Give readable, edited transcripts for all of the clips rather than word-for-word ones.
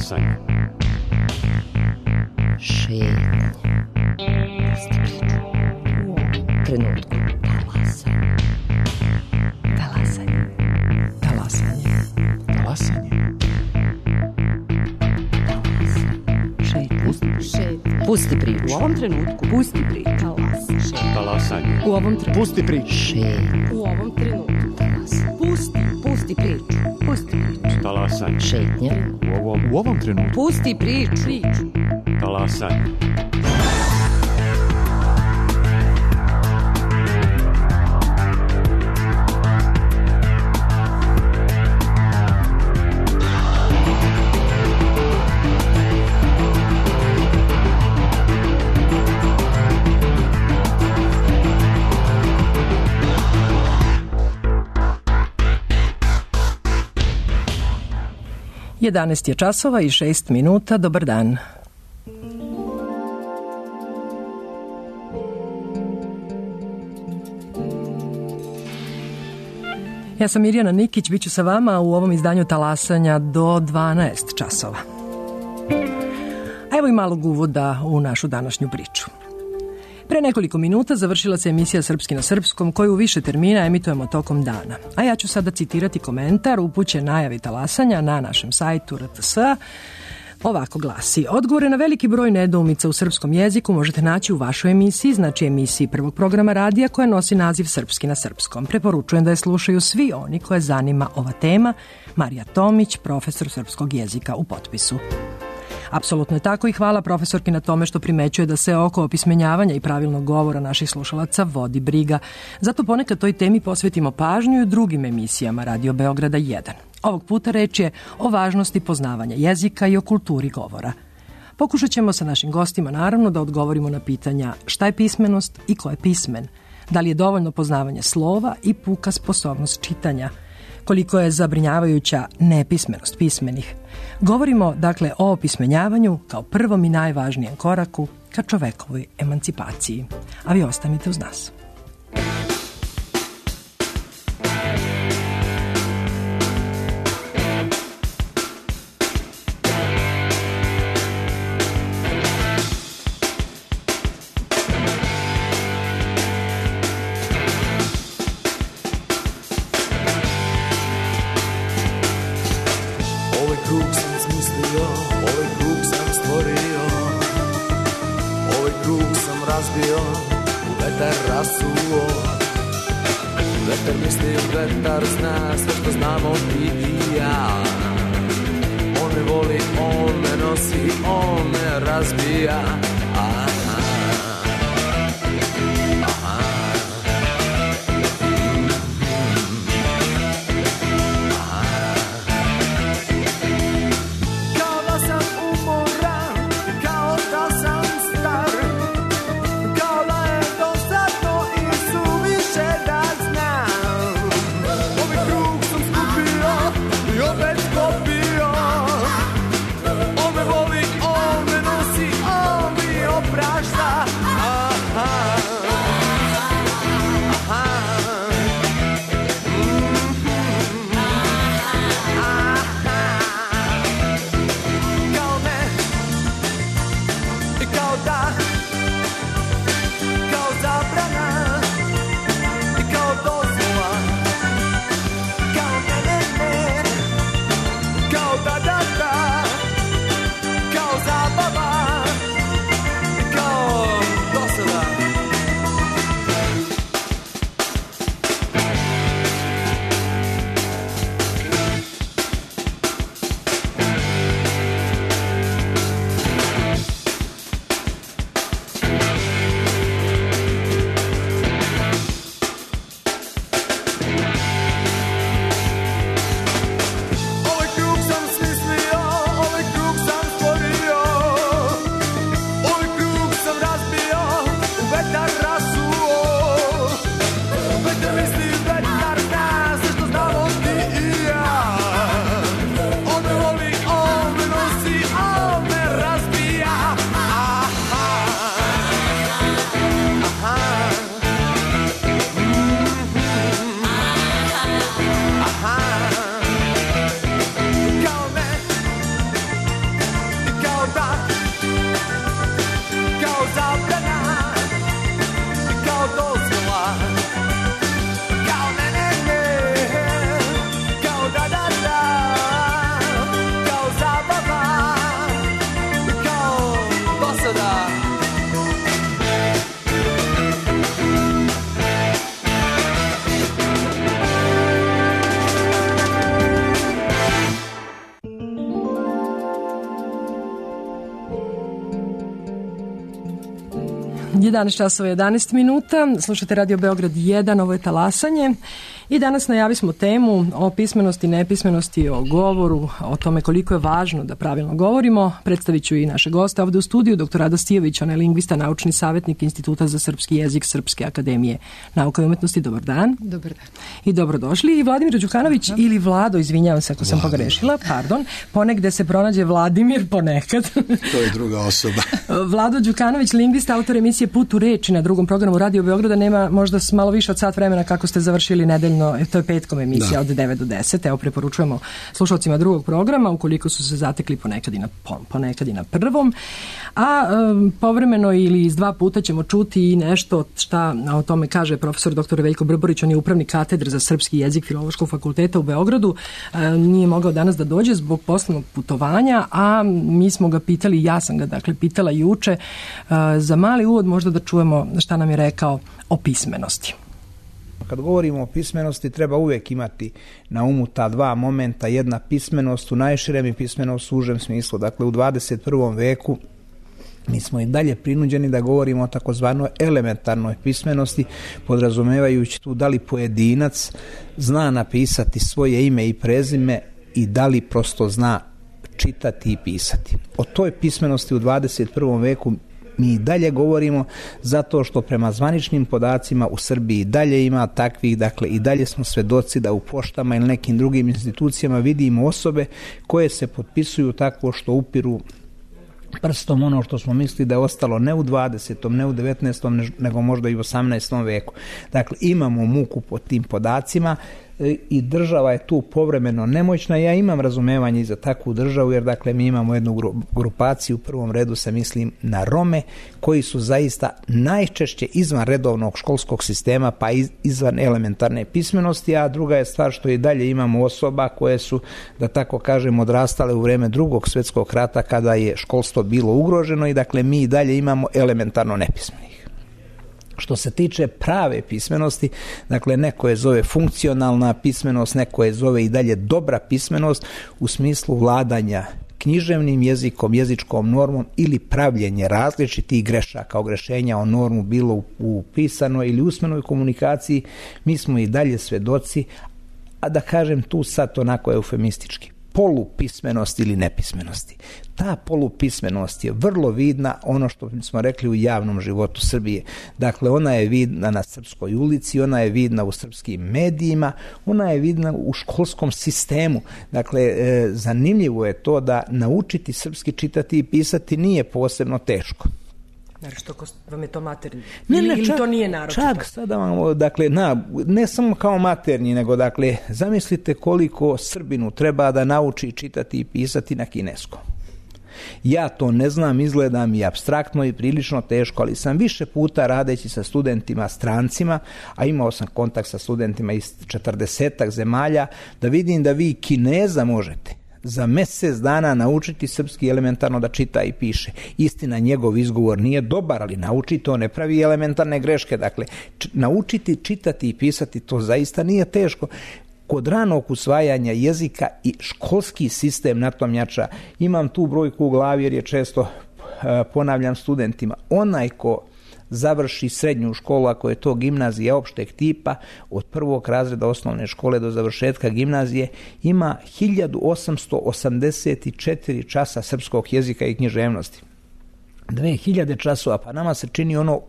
Talasanje. Šetnje. U trenutku. Talasanje. Talasanje. Talasanje. Talasanje. Šetnje. Pusti priču. U ovom trenutku. Pusti priču. Talasanje. U ovom trenutku. Pusti priču. Šetnje. U ovom trenutku. Pusti priču. Pusti priču. Talasanje. Šetnje. U ovom trenutku. Pusti priču. Talasanje. Jedanaest je časova i 6 minuta. Dobar dan. Ja sam Mirjana Nikić, bit ću sa vama u ovom izdanju Talasanja do 12 časova. A evo i malog uvoda u našu današnju priču. Pre nekoliko minuta završila se emisija Srpski na srpskom, koju u više termina emitujemo tokom dana. A ja ću sada citirati komentar upućen najavi Talasanja na našem sajtu RTS. Ovako glasi: odgovore na veliki broj nedoumica u srpskom jeziku možete naći u vašoj emisiji, znači emisiji prvog programa radija koja nosi naziv Srpski na srpskom. Preporučujem da je slušaju svi oni koje zanima ova tema. Marija Tomić, profesor srpskog jezika, u potpisu. Apsolutno je tako i hvala profesorki na tome što primećuje da se oko opismenjavanja i pravilnog govora naših slušalaca vodi briga. Zato ponekad toj temi posvetimo pažnju i u drugim emisijama Radio Beograda 1. Ovog puta reč je o važnosti poznavanja jezika i o kulturi govora. Pokušat ćemo sa našim gostima naravno da odgovorimo na pitanja šta je pismenost i ko je pismen, da li je dovoljno poznavanje slova i puka sposobnost čitanja, koliko je zabrinjavajuća nepismenost pismenih. Govorimo dakle o opismenjavanju kao prvom i najvažnijem koraku ka čovekovoj emancipaciji. A vi ostanite uz nas. Vetar zna sve što znamo ti i ja. On me voli, on me nosi, on me razbija. Kao da sam umoran, kao da sam star, kao da je dosadno i suviše da znam. Ovaj krug sam skupio i opet skopio. On me voli, on me nosi, on mi oprašta. 11 časova 11 minuta, slušate Radio Beograd 1, ovo je Talasanje i danas najavili smo temu o pismenosti, nepismenosti, o govoru, o tome koliko je važno da pravilno govorimo. Predstavit ću i naše goste ovde u studiju, dr. Rada Stijović, on je lingvista, naučni savjetnik Instituta za srpski jezik Srpske akademije nauka i umetnosti. Dobar dan. Dobar dan. I dobrodošli. I Vladimir Đukanović ili Vlado, izvinjavam se ako sam pogrešila, pardon, ponegde se pronađe Vladimir, ponekad. To je druga osoba. Vlado Đukanović, lingvista, autor emisije Put u reči na Drugom programu Radio Beograda. Nema možda malo više od sat vremena kako ste završili nedeljno, to je petkom emisija od 9 do 10. Evo, preporučujemo slušalcima drugog programa, ukoliko su se zatekli ponekad i na prvom. A povremeno ili iz dva puta ćemo čuti i nešto šta o tome kaže profesor dr. Veljko Brborić, on je upravnik katedre za srpski jezik Filološkog fakulteta u Beogradu. Nije mogao danas da dođe zbog poslovnog putovanja, a mi smo ga pitali, ja sam ga dakle pitala juče, za mali uvod možda da čujemo šta nam je rekao o pismenosti. Kad govorimo o pismenosti, treba uvijek imati na umu ta dva momenta, jedna pismenost u najširem i pismenost u užem smislu. Dakle, u 21. veku mi smo i dalje prinuđeni da govorimo o takozvanoj elementarnoj pismenosti, podrazumevajući tu da li pojedinac zna napisati svoje ime i prezime i da li prosto zna čitati i pisati. O toj pismenosti u 21. veku mi i dalje govorimo zato što prema zvaničnim podacima u Srbiji dalje ima takvih, dakle i dalje smo svedoci da u poštama ili nekim drugim institucijama vidimo osobe koje se potpisuju tako što upiru prstom ono što smo mislili da je ostalo ne u 20. ne u 19. nego možda i u 18. veku. Dakle, imamo muku pod tim podacima i država je tu povremeno nemoćna. Ja imam razumevanje i za takvu državu, jer dakle mi imamo jednu grupaciju, u prvom redu se mislim na Rome, koji su zaista najčešće izvan redovnog školskog sistema pa izvan elementarne pismenosti, a druga je stvar što i dalje imamo osoba koje su, da tako kažem, odrastale u vreme Drugog svjetskog rata kada je školstvo bilo ugroženo i dakle mi i dalje imamo elementarno nepismenih. Što se tiče prave pismenosti, dakle neko je zove funkcionalna pismenost, neko je zove i dalje dobra pismenost u smislu vladanja književnim jezikom, jezičkom normom ili pravljenje različitih grešaka, ogrešenja o normu bilo u pisanoj ili usmenoj komunikaciji. Mi smo i dalje svedoci, a da kažem tu sad onako eufemistički, polupismenosti ili nepismenosti. Ta polupismenost je vrlo vidna, ono što smo rekli, u javnom životu Srbije. Dakle, ona je vidna na srpskoj ulici, ona je vidna u srpskim medijima, ona je vidna u školskom sistemu. Dakle, zanimljivo je to da naučiti srpski čitati i pisati nije posebno teško. Što vam je to maternji? Ili to nije naročito? Čak sada vam, dakle, ne samo kao maternji, nego, dakle, zamislite koliko Srbinu treba da nauči čitati i pisati na kineskom. Ja to ne znam, izgleda mi apstraktno i prilično teško, ali sam više puta radeći sa studentima strancima, a imao sam kontakt sa studentima iz 40 zemalja, da vidim da vi Kineza možete za mjesec dana naučiti srpski elementarno da čita i piše. Istina, njegov izgovor nije dobar, ali nauči to, ne pravi elementarne greške. Dakle, naučiti čitati i pisati, to zaista nije teško. Kod ranog usvajanja jezika i školski sistem na tom jača. Imam tu brojku u glavi jer je često ponavljam studentima. Onaj ko završi srednju školu, ako je to gimnazija opšteg tipa, od prvog razreda osnovne škole do završetka gimnazije, ima 1884 časa srpskog jezika i književnosti. 2000 časova, pa nama se čini ono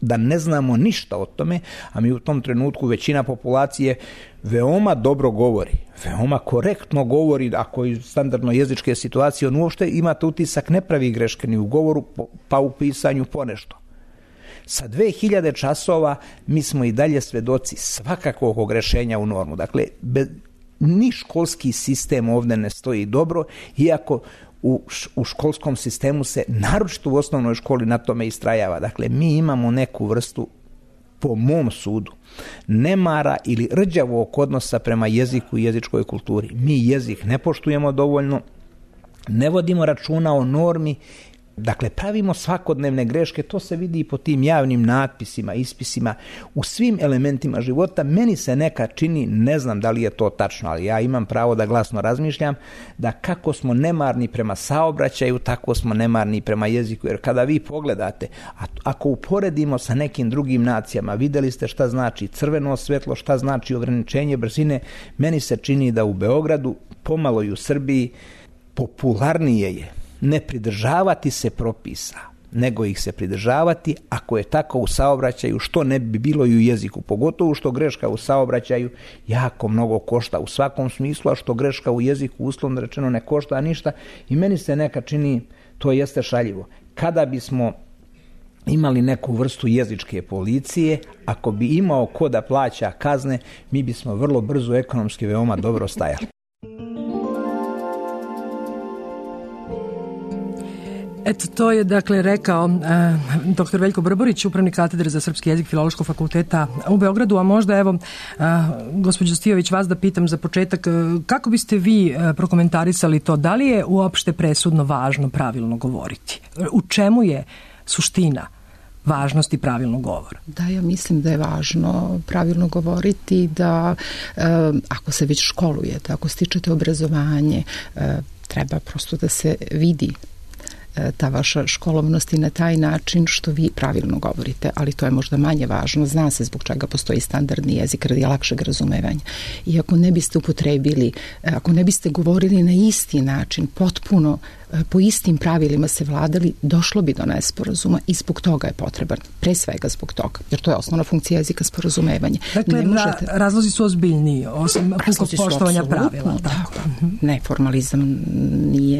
da ne znamo ništa o tome, a mi u tom trenutku većina populacije veoma dobro govori, veoma korektno govori, ako je standardno jezičke situacije, on uopšte imate utisak ne pravi greške ni u govoru, pa u pisanju ponešto. Sa 2000 časova mi smo i dalje svedoci svakakvog ogrešenja u normu. Dakle, ni školski sistem ovdje ne stoji dobro, iako u školskom sistemu se, naročito u osnovnoj školi, na tome istrajava. Dakle, mi imamo neku vrstu, po mom sudu, nemara ili rđavog odnosa prema jeziku i jezičkoj kulturi. Mi jezik ne poštujemo dovoljno, ne vodimo računa o normi Dakle, pravimo svakodnevne greške, to se vidi i po tim javnim natpisima, ispisima, u svim elementima života. Meni se neka čini, ne znam da li je to tačno, ali ja imam pravo da glasno razmišljam, da kako smo nemarni prema saobraćaju, tako smo nemarni prema jeziku. Jer kada vi pogledate, ako uporedimo sa nekim drugim nacijama, videli ste šta znači crveno svetlo, šta znači ograničenje brzine, meni se čini da u Beogradu, pomalo i u Srbiji, popularnije je ne pridržavati se propisa, nego ih se pridržavati ako je tako u saobraćaju, što ne bi bilo i u jeziku, pogotovo što greška u saobraćaju jako mnogo košta u svakom smislu, a što greška u jeziku uslovno rečeno ne košta ništa. I meni se neka čini, to jeste šaljivo. Kada bismo imali neku vrstu jezičke policije, ako bi imao ko da plaća kazne, mi bismo vrlo brzo ekonomski veoma dobro stajali. Eto, to je dakle rekao dr. Veljko Brborić, upravnik katedre za srpski jezik Filološkog fakulteta u Beogradu. A možda evo, gospođo Stijović, vas da pitam za početak, kako biste vi prokomentarisali to, da li je uopšte presudno važno pravilno govoriti? U čemu je suština važnosti pravilnog govora? Da, ja mislim da je važno pravilno govoriti, da ako se već školujete, ako stičete obrazovanje, treba prosto da se vidi ta vaša školovnost i na taj način što vi pravilno govorite, ali to je možda manje važno. Zna se zbog čega postoji standardni jezik radi lakšeg razumevanja. I ako ne biste upotrebili, ako ne biste govorili na isti način, potpuno po istim pravilima se vladali, došlo bi do nesporazuma i zbog toga je potreban, pre svega zbog toga, jer to je osnovna funkcija jezika, sporazumevanje. Dakle, razlozi su ozbiljniji, osim pukog poštovanja pravila. Tako. Ne, formalizam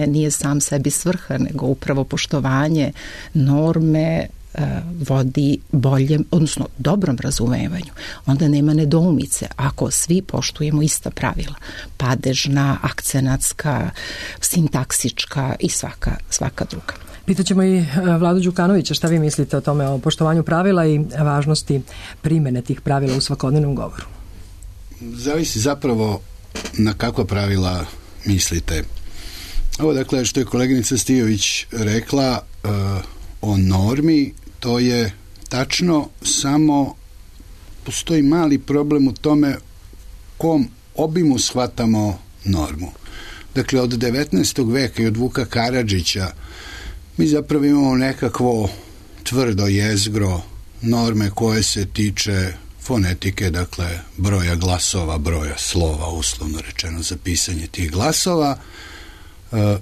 nije sam sebi svrha, nego upravo poštovanje norme vodi boljem, odnosno dobrom razumevanju. Onda nema nedoumice ako svi poštujemo ista pravila. Padežna, akcenatska, sintaksička i svaka druga. Pitaćemo i Vladu Đukanovića šta vi mislite o tome, o poštovanju pravila i važnosti primene tih pravila u svakodnevnom govoru. Zavisi zapravo na kakva pravila mislite. Ovo dakle što je koleginica Stijović rekla o normi, to je tačno, samo postoji mali problem u tome kom obimu shvatamo normu. Dakle, od 19. veka i od Vuka Karadžića mi zapravo imamo nekakvo tvrdo jezgro norme koje se tiče fonetike, dakle broja glasova, broja slova, uslovno rečeno za pisanje tih glasova,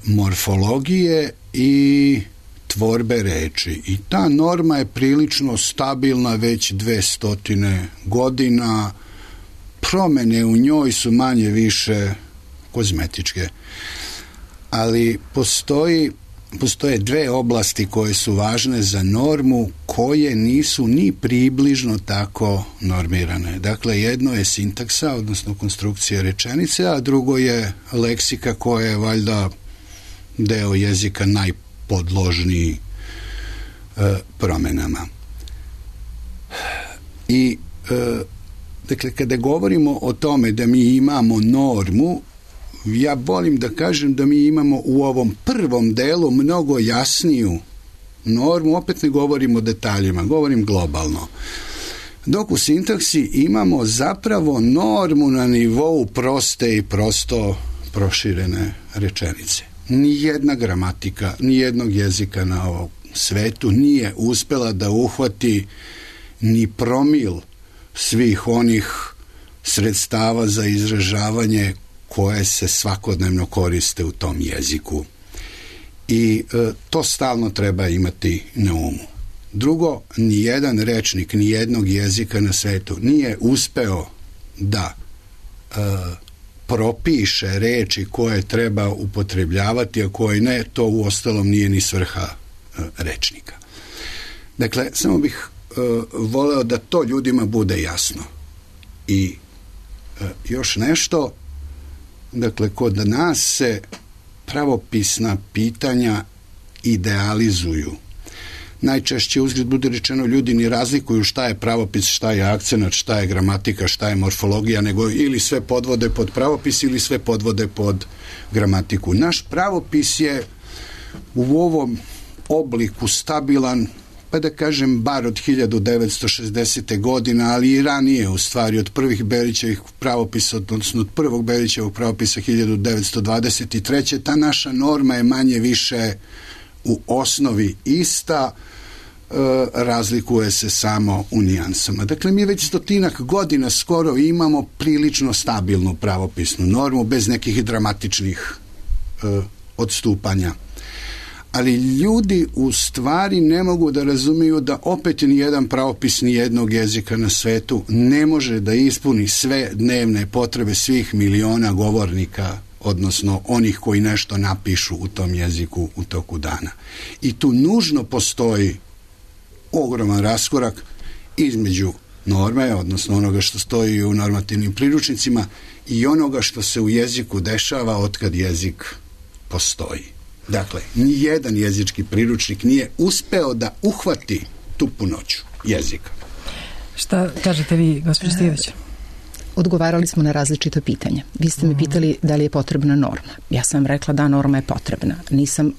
morfologije i tvorbe reči. I ta norma je prilično stabilna već 200 godina. Promene u njoj su manje više kozmetičke. Ali postoje dve oblasti koje su važne za normu, koje nisu ni približno tako normirane. Dakle, jedno je sintaksa, odnosno konstrukcija rečenice, a drugo je leksika koja je valjda deo jezika najpodložniji promenama. I dakle, kada govorimo o tome da mi imamo normu, ja volim da kažem da mi imamo u ovom prvom delu mnogo jasniju normu, opet ne govorim o detaljima, govorim globalno. Dok u sintaksi imamo zapravo normu na nivou proste i prosto proširene rečenice. Nijedna gramatika, nijednog jezika na ovom svetu nije uspela da uhvati ni promil svih onih sredstava za izražavanje koje se svakodnevno koriste u tom jeziku. I to stalno treba imati na umu. Drugo, nijedan rečnik, nijednog jezika na svetu nije uspeo da propiše reči koje treba upotrebljavati, a koje ne, to uostalom nije ni svrha rečnika. Dakle, samo bih voleo da to ljudima bude jasno. I još nešto, dakle, kod nas se pravopisna pitanja idealizuju. Najčešće, uzgled bude rečeno, ljudi ni razlikuju šta je pravopis, šta je akcenat, šta je gramatika, šta je morfologija, nego ili sve podvode pod pravopis ili sve podvode pod gramatiku. Naš pravopis je u ovom obliku stabilan, pa da kažem bar od 1960. godina, ali i ranije u stvari od prvih Berićevih pravopisa, odnosno od prvog Berićevog pravopisa 1923. Ta naša norma je manje više u osnovi ista, razlikuje se samo u nijansama. Dakle, mi već 100 godina skoro imamo prilično stabilnu pravopisnu normu bez nekih dramatičnih odstupanja. Ali ljudi u stvari ne mogu da razumiju da opet nijedan pravopis nijednog jezika na svetu ne može da ispuni sve dnevne potrebe svih miliona govornika, odnosno onih koji nešto napišu u tom jeziku u toku dana. I tu nužno postoji ogroman raskorak između norme, odnosno onoga što stoji u normativnim priručnicima i onoga što se u jeziku dešava otkad jezik postoji. Dakle, nijedan jezički priručnik nije uspeo da uhvati tu punoću jezika. Šta kažete vi, gospođo Stijević? Odgovarali smo na različita pitanja. Vi ste me pitali da li je potrebna norma. Ja sam rekla da norma je potrebna. Nisam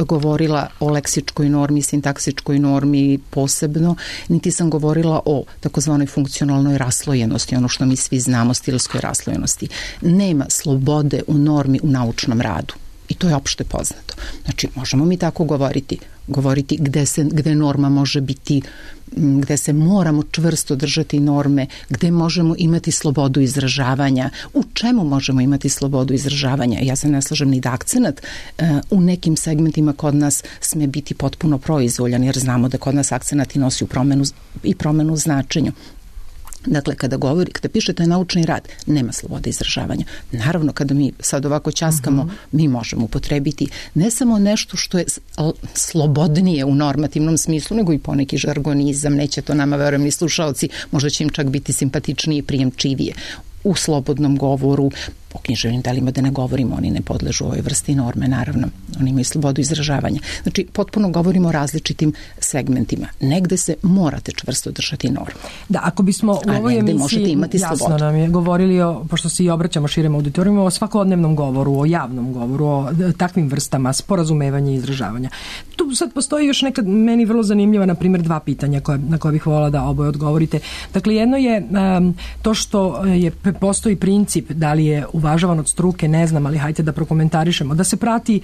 govorila o leksičkoj normi, sintaksičkoj normi posebno, niti sam govorila o takozvanoj funkcionalnoj raslojenosti, ono što mi svi znamo, stilskoj raslojenosti. Nema slobode u normi u naučnom radu. I to je opšte poznato. Znači, možemo mi tako govoriti gde norma može biti, gde se moramo čvrsto držati norme, gde možemo imati slobodu izražavanja, u čemu možemo imati slobodu izražavanja. Ja se ne slažem ni da akcenat u nekim segmentima kod nas sme biti potpuno proizvoljan, jer znamo da kod nas akcenat i nosi promenu značenja. Dakle, kada pišete naučni rad, nema slobode izražavanja. Naravno, kada mi sad ovako ćaskamo, mi možemo upotrebiti ne samo nešto što je slobodnije u normativnom smislu, nego i poneki žargonizam, neće to nama, verujem, ni slušaoci, možda će im čak biti simpatičnije i prijemčivije. U slobodnom govoru, po književnim delima da ne govorimo, oni ne podležu ovoj vrsti norme, naravno, oni imaju slobodu izražavanja. Znači, potpuno govorimo o različitim segmentima. Negde se morate čvrsto držati norme. Da, ako bismo u ovoj emisiji, jasno nam je, govorili pošto se i obraćamo širem auditorijumu, o svakodnevnom govoru, o javnom govoru, o takvim vrstama sporazumevanja i izražavanja. Tu sad postoji još neka meni vrlo zanimljiva, na primjer, 2 pitanja na koje bih volila da oboje odgovorite. Dakle, jedno je to što postoji princip, da li je uvažavan od struke, ne znam, ali hajte da prokomentarišemo, da se prati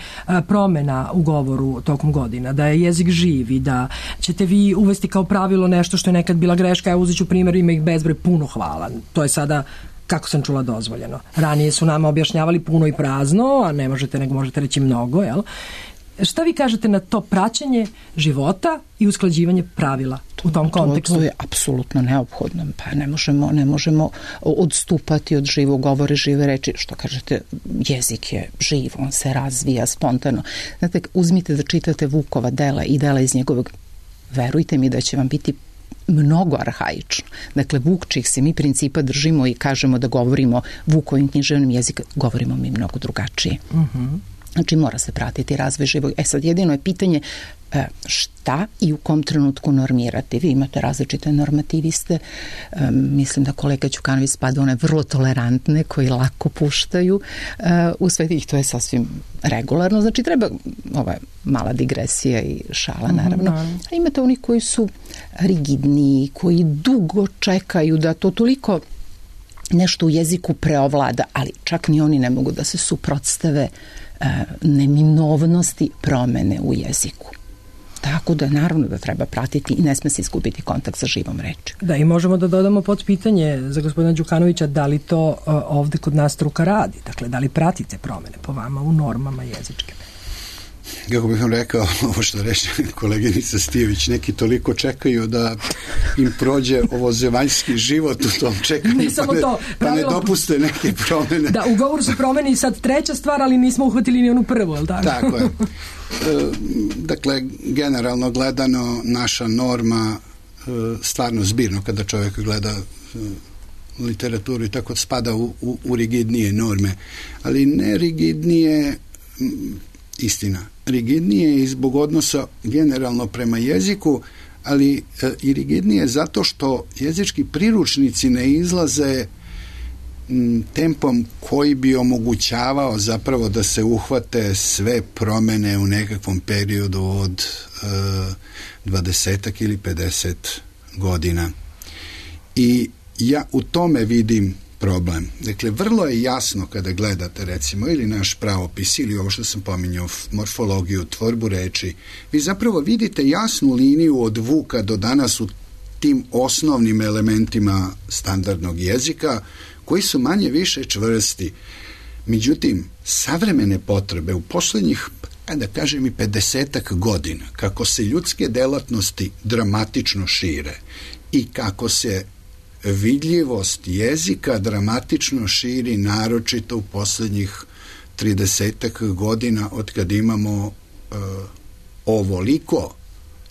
promena u govoru tokom godina, da je jezik živ i da ćete vi uvesti kao pravilo nešto što je nekad bila greška. Ja uzet ću primjer, ima ih bezbroj, puno hvala. To je sada, kako sam čula, dozvoljeno. Ranije su nama objašnjavali puno i prazno, a ne možete, nego možete reći mnogo, jel? Šta vi kažete na to praćenje života i usklađivanje pravila u tom kontekstu? To je apsolutno neophodno. Pa ne možemo odstupati od živog govora, žive reči. Što kažete, jezik je živ, on se razvija spontano. Znate, uzmite da čitate Vukova dela i dela iz njegovog, verujte mi da će vam biti mnogo arhaično. Dakle, Vuk, čih se mi principa držimo i kažemo da govorimo Vukovim književnim jezikom, govorimo mi mnogo drugačije. Znači, mora se pratiti razvoj živog. Sad, jedino je pitanje šta i u kom trenutku normirati. Vi imate različite normativiste. Mislim da kolega Đukanović spada one vrlo tolerantne koji lako puštaju u sve tih. To je sasvim regularno. Znači, treba ova mala digresija i šala, naravno. A imate oni koji su rigidniji, koji dugo čekaju da to toliko nešto u jeziku preovlada, ali čak ni oni ne mogu da se suprotstave neminovnosti promene u jeziku. Tako da naravno da treba pratiti i ne sme se izgubiti kontakt sa živom reči. Da, i možemo da dodamo pod pitanje za gospodina Đukanovića, da li to ovde kod nas struka radi? Dakle, da li pratite promene po vama u normama jezičke? Kako bih vam rekao, ovo što reče koleginica Stijević, neki toliko čekaju da im prođe ovo zemaljski život u tom čekanju, pa ne dopuste neke promene. Da, u govoru se promeni sad treća stvar, ali nismo uhvatili ni onu prvu, je li tako? Tako je. Dakle, generalno gledano, naša norma stvarno zbirno, kada čovjek gleda literaturu i tako spada u rigidnije norme, ali ne rigidnije, istina, rigidnije i zbog odnosa generalno prema jeziku, ali i rigidnije zato što jezički priručnici ne izlaze tempom koji bi omogućavao zapravo da se uhvate sve promene u nekakvom periodu od 20 ili 50 godina. I ja u tome vidim problem. Dakle, vrlo je jasno kada gledate recimo ili naš pravopis ili ovo što sam pominjao, morfologiju, tvorbu reči, vi zapravo vidite jasnu liniju od Vuka do danas u tim osnovnim elementima standardnog jezika koji su manje više čvrsti. Međutim, savremene potrebe u poslednjih, da kažem i 50 godina, kako se ljudske delatnosti dramatično šire i kako se vidljivost jezika dramatično širi, naročito u poslednjih 30 godina od kad imamo ovoliko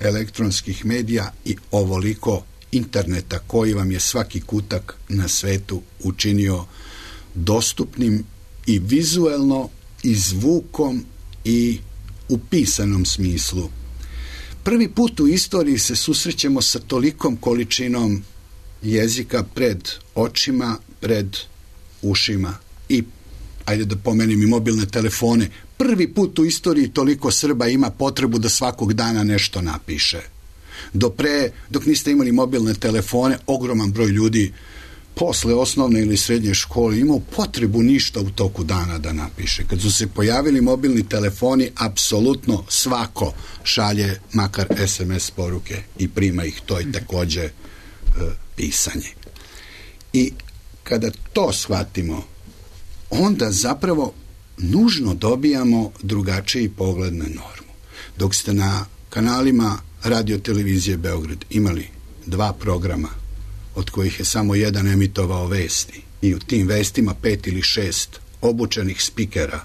elektronskih medija i ovoliko interneta koji vam je svaki kutak na svetu učinio dostupnim i vizuelno i zvukom i u pisanom smislu. Prvi put u istoriji se susrećemo sa tolikom količinom jezika pred očima, pred ušima i, ajde da pomenem i mobilne telefone, prvi put u istoriji toliko Srba ima potrebu da svakog dana nešto napiše. Dok niste imali mobilne telefone, ogroman broj ljudi posle osnovne ili srednje škole imao potrebu ništa u toku dana da napiše. Kad su se pojavili mobilni telefoni, apsolutno svako šalje makar SMS poruke i prima ih, to je takođe pisanje. I kada to shvatimo, onda zapravo nužno dobijamo drugačiji pogled na normu. Dok ste na kanalima Radio televizije Beograd imali 2 programa, od kojih je samo jedan emitovao vesti i u tim vestima 5 ili 6 obučenih spikera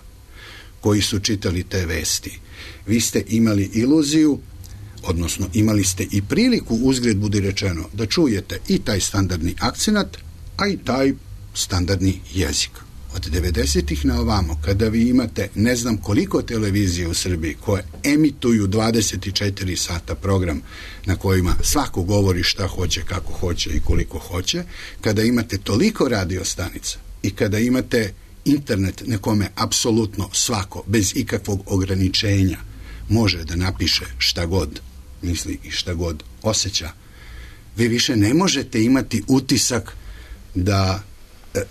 koji su čitali te vesti, vi ste imali iluziju, odnosno imali ste i priliku, uzgred budi rečeno, da čujete i taj standardni akcenat, a i taj standardni jezik. Od 90-ih na ovamo, kada vi imate ne znam koliko televizije u Srbiji koje emituju 24 sata program na kojima svako govori šta hoće, kako hoće i koliko hoće, kada imate toliko radio stanica i kada imate internet na kome apsolutno svako, bez ikakvog ograničenja, može da napiše šta god misli i šta god osjeća, vi više ne možete imati utisak da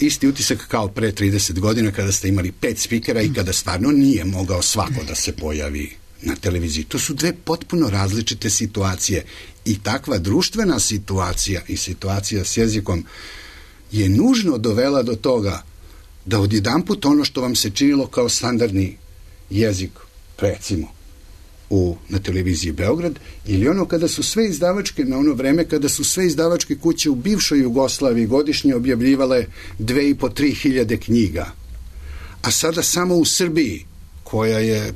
isti utisak kao pre 30 godina kada ste imali 5 spikera i kada stvarno nije mogao svako da se pojavi na televiziji. To su 2 potpuno različite situacije i takva društvena situacija i situacija s jezikom je nužno dovela do toga da odjedanput ono što vam se činilo kao standardni jezik, recimo na televiziji Beograd, ili ono kada su sve izdavačke, na ono vreme kada su sve izdavačke kuće u bivšoj Jugoslaviji godišnje objavljivale 2.500–3 hiljade knjiga, a sada samo u Srbiji, koja je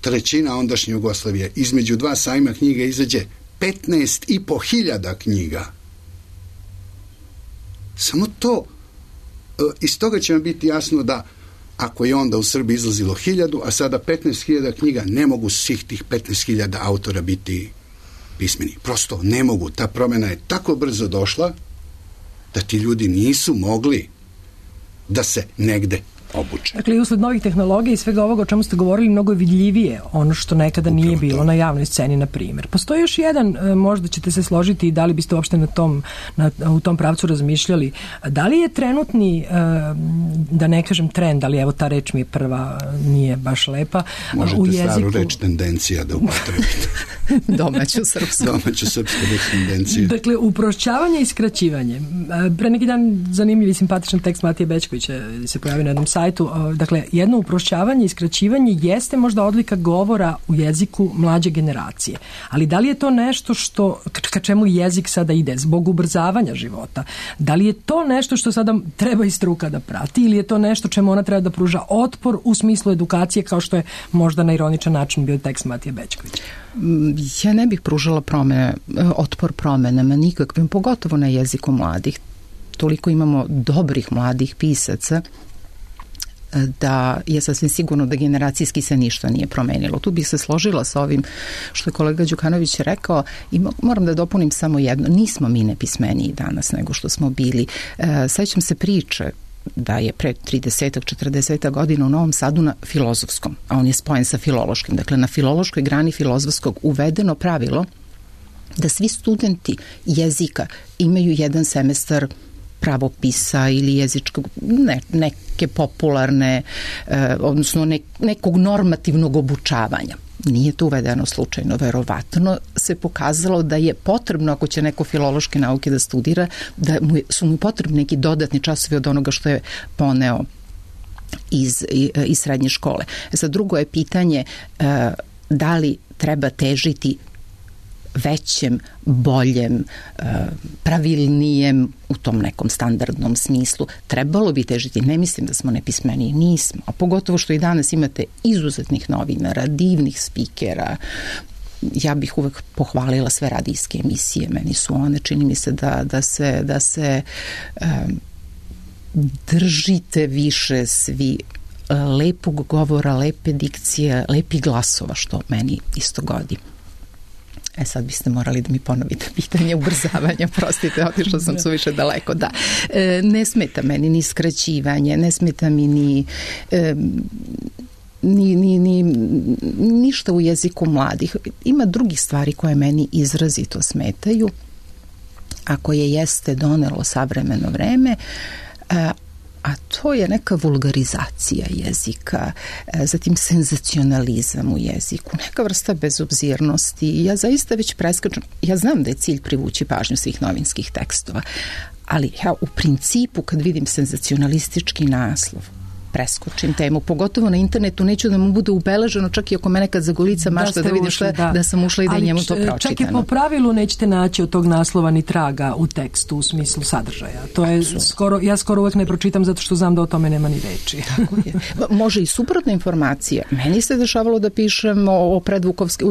trećina ondašnje Jugoslavije, između 2 sajma knjiga izađe 15.500 hiljada knjiga. Samo to, iz toga će vam biti jasno da ako je onda u Srbiji izlazilo 1000, a sada 15.000 knjiga, ne mogu svih tih 15.000 autora biti pismeni. Prosto ne mogu. Ta promjena je tako brzo došla da ti ljudi nisu mogli da se negde obuče. Dakle, i usled novih tehnologija i svega ovoga o čemu ste govorili, mnogo je vidljivije ono što nekada nije bilo na javnoj sceni, na primjer. Postoji još jedan, možda ćete se složiti i da li biste uopšte u tom pravcu razmišljali, da li je trenutni, da ne kažem trend, ali evo ta reč mi je prva, nije baš lepa, možete u jeziku... staru reč tendencija da upotrebite. Domaću srpsku. Domaću srpsku reč tendencija. Dakle, uprošćavanje i skraćivanje. Pre neki dan zanimljiv i simpatičan tekst Matije Bećkovića se pojavio na jednom sajtu. Dakle, jedno uprošćavanje i skraćivanje jeste možda odlika govora u jeziku mlađe generacije. Ali da li je to nešto što, ka čemu jezik sada ide, zbog ubrzavanja života? Da li je to nešto što sada treba i struka da prati ili je to nešto čemu ona treba da pruža otpor u smislu edukacije, kao što je možda na ironičan način bio tekst Matije Bećkovića? Ja ne bih pružala otpor promenama nikakvim, pogotovo na jeziku mladih. Toliko imamo dobrih mladih pisaca da je sasvim sigurno da generacijski se ništa nije promenilo. Tu bih se složila sa ovim što je kolega Đukanović rekao i moram da dopunim samo jedno. Nismo mi nepismeniji danas nego što smo bili. Sećam se priče da je pre 30-40 godina u Novom Sadu na filozofskom, a on je spojen sa filološkim, dakle na filološkoj grani filozofskog uvedeno pravilo da svi studenti jezika imaju jedan semestar pravopisa ili jezičkog, neke popularne, odnosno nekog normativnog obučavanja. Nije to uvedeno slučajno, verovatno se pokazalo da je potrebno, ako će neko filološke nauke da studira, da su mu potrebni neki dodatni časovi od onoga što je poneo iz srednje škole. Sad, drugo je pitanje da li treba težiti većem, boljem, pravilnijem u tom nekom standardnom smislu. Trebalo bi težiti, ne mislim da smo nepismeni, nismo, a pogotovo što i danas imate izuzetnih novinara, divnih spikera. Ja bih uvek pohvalila sve radijske emisije, meni su one, čini mi se da se držite više svi lepog govora, lepe dikcije, lepih glasova, što meni isto godi. Sad biste morali da mi ponovite pitanje ubrzavanja, prostite, otišla sam suviše daleko, da. Ne smeta meni ni skraćivanje, ne smeta mi ni ništa u jeziku mladih. Ima drugih stvari koje meni izrazito smetaju, a koje jeste donelo savremeno vreme, a to je neka vulgarizacija jezika, zatim senzacionalizam u jeziku, neka vrsta bezobzirnosti. Ja zaista već preskačem, ja znam da je cilj privući pažnju svih novinskih tekstova, ali ja u principu kad vidim senzacionalistički naslov, preskočim temu, pogotovo na internetu, neću da mu bude ubeleženo, čak i ako mene kad zagolica mašta da vidim da sam ušla i da je njemu to pročitano. Čak i po pravilu nećete naći od tog naslova ni traga u tekstu u smislu sadržaja. To je ja skoro uvek ne pročitam zato što znam da o tome nema ni reči. Tako je. Može i suprotna informacija. Meni se dešavalo da pišem o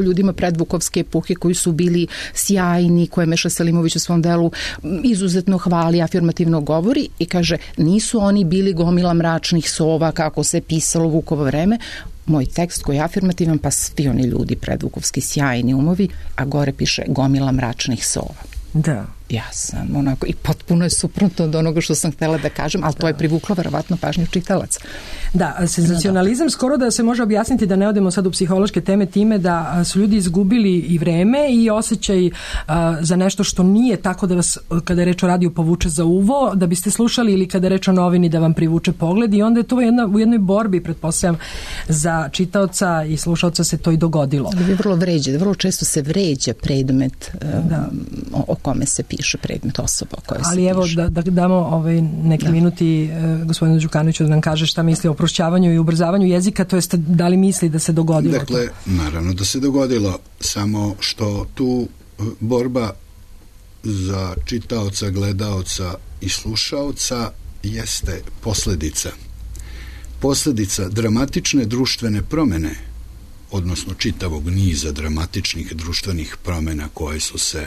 ljudima predvukovske epohe koji su bili sjajni, koje Meša Selimović u svom delu izuzetno hvali, afirmativno govori i kaže, nisu oni bili gomila mračnih sova kako se pisalo u Vukovo vreme. Moj tekst koji je afirmativan, pa svi oni ljudi predvukovski sjajni umovi, a gore piše gomila mračnih sova. Da. Ja sam onako, i potpuno je suprotno od onoga što sam htjela da kažem, ali to je privuklo verovatno pažnju čitalaca. Da, senzacionalizam skoro da se može objasniti, da ne odemo sad u psihološke teme, time da su ljudi izgubili i vreme i osjećaj za nešto što nije tako da vas, kada je reč o radiju, povuče za uvo, da biste slušali, ili kada je reč o novini da vam privuče pogled, i onda je to u jednoj borbi, pretpostavljam, za čitaoca i slušaoca se to i dogodilo. Vrlo često se vređa predmet o kome se piše, predmet osoba o kojoj se piše. Ali evo da damo neki minuti gospodinu Đukanoviću da nam kaže šta misli o prošćavanju i ubrzavanju jezika, to jest da li misli da se dogodilo? Dakle, naravno da se dogodilo, samo što tu borba za čitaoca, gledaoca i slušaoca jeste posledica dramatične društvene promene, odnosno čitavog niza dramatičnih društvenih promena koje su se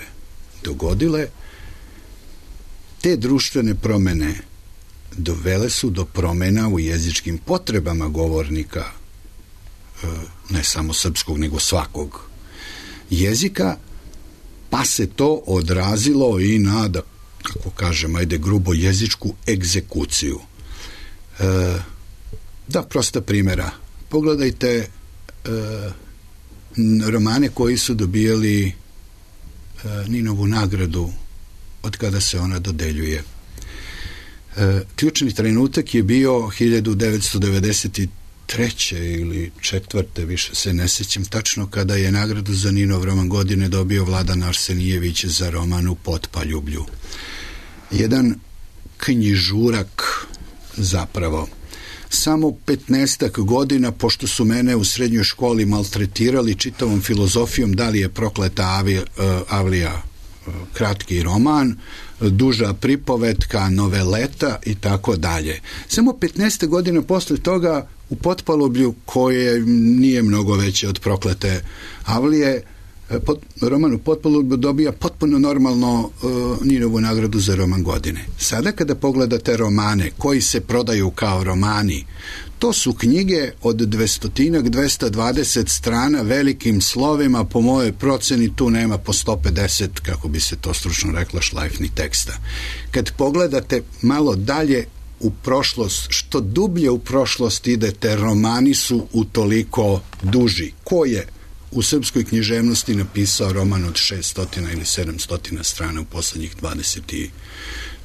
dogodile. Te društvene promene dovele su do promena u jezičkim potrebama govornika, ne samo srpskog, nego svakog jezika, pa se to odrazilo i na, da, kako kažem, ajde grubo, jezičku egzekuciju. Da, prosta primjera. Pogledajte romane koji su dobijali Ninovu nagradu od kada se ona dodeljuje. Ključni trenutak je bio 1993. ili 4. više se ne sjećam tačno, kada je nagradu za Ninov roman godine dobio Vladan Arsenijević za roman U Potpaljublju. Jedan knjižurak zapravo. Samo 15 godina, pošto su mene u srednjoj školi maltretirali čitavom filozofijom da li je Prokleta Avlija kratki roman, duža pripovetka, noveleta i tako dalje. Samo 15 godina posle toga U Potpalublju, koje nije mnogo veće od Proklete Avlije, roman U Potpalublju dobija potpuno normalno Ninovu nagradu za roman godine. Sada kada pogledate romane koji se prodaju kao romani, to su knjige od 200-220 strana velikim slovima, po mojoj proceni tu nema po 150, kako bi se to stručno rekla, šlajfni teksta. Kad pogledate malo dalje, u prošlost, što dublje u prošlost idete, romani su utoliko duži. Ko je u srpskoj književnosti napisao roman od 600 ili 700 strana u poslednjih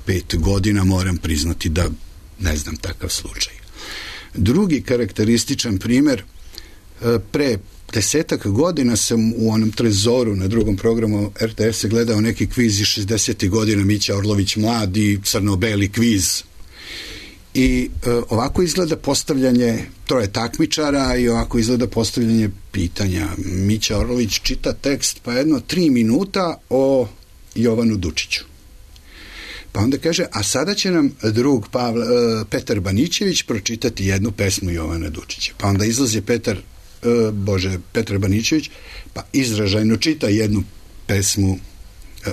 25 godina? Moram priznati da ne znam takav slučaj. Drugi karakterističan primer, pre 10 godina sam u onom Trezoru na drugom programu RTS-a gledao neki kviz iz 60. godina, Mića Orlović mladi, crno-beli kviz. I ovako izgleda postavljanje troje takmičara i ovako izgleda postavljanje pitanja. Mića Orlović čita tekst pa jedno 3 minuta o Jovanu Dučiću. Pa onda kaže, a sada će nam drug Petar Banićević pročitati jednu pesmu Jovana Dučića. Pa onda izlazi Petar Banićević, pa izražajno čita jednu pesmu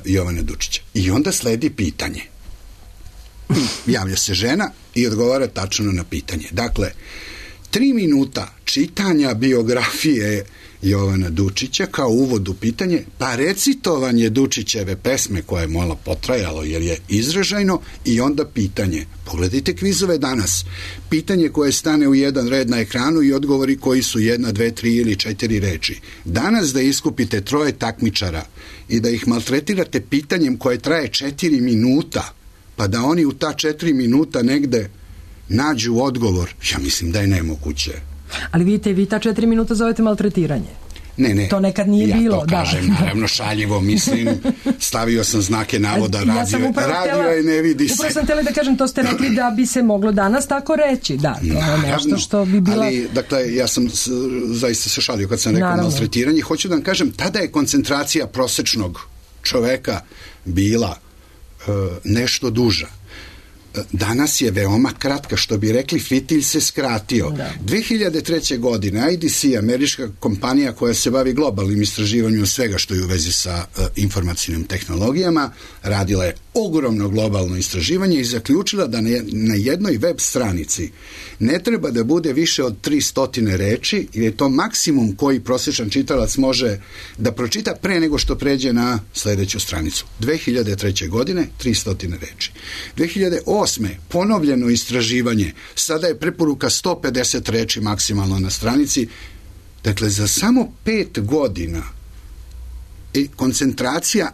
Jovana Dučića. I onda sledi pitanje. Javlja se žena i odgovara tačno na pitanje. Dakle, 3 minuta čitanja biografije Jovana Dučića kao uvod u pitanje, pa recitovanje Dučićeve pesme koje je malo potrajalo jer je izražajno i onda pitanje. Pogledajte kvizove danas. Pitanje koje stane u jedan red na ekranu i odgovori koji su 1, 2, 3 ili 4 reči. Danas da iskupite 3 takmičara i da ih maltretirate pitanjem koje traje 4 minuta, pa da oni u ta 4 minuta negde nađu odgovor, ja mislim da je nemoguće. Ali vidite, vi ta 4 minuta zovete maltretiranje. Ne. To nekad nije bilo. Ja to kažem, naravno, šaljivo, mislim, stavio sam znake navoda, radio je ne vidi se. Upravo sam htjela da kažem, to ste rekli da bi se moglo danas tako reći, da, to je nešto što bi bila... Ali, dakle, ja sam zaista se šalio kad sam rekao maltretiranje, hoću da vam kažem, tada je koncentracija prosečnog čoveka bila nešto duža. Danas je veoma kratka, što bi rekli, fitilj se skratio. 2003. godine IDC, američka kompanija koja se bavi globalnim istraživanjem svega što je u vezi sa informacijnim tehnologijama, radila je ogromno globalno istraživanje i zaključila da na jednoj web stranici ne treba da bude više od 300 reči, jer je to maksimum koji prosječan čitalac može da pročita pre nego što pređe na sledeću stranicu. 2003. godine 300 reči. 2008. ponovljeno istraživanje, sada je preporuka 150 reči maksimalno na stranici. Dakle, za samo 5 godina koncentracija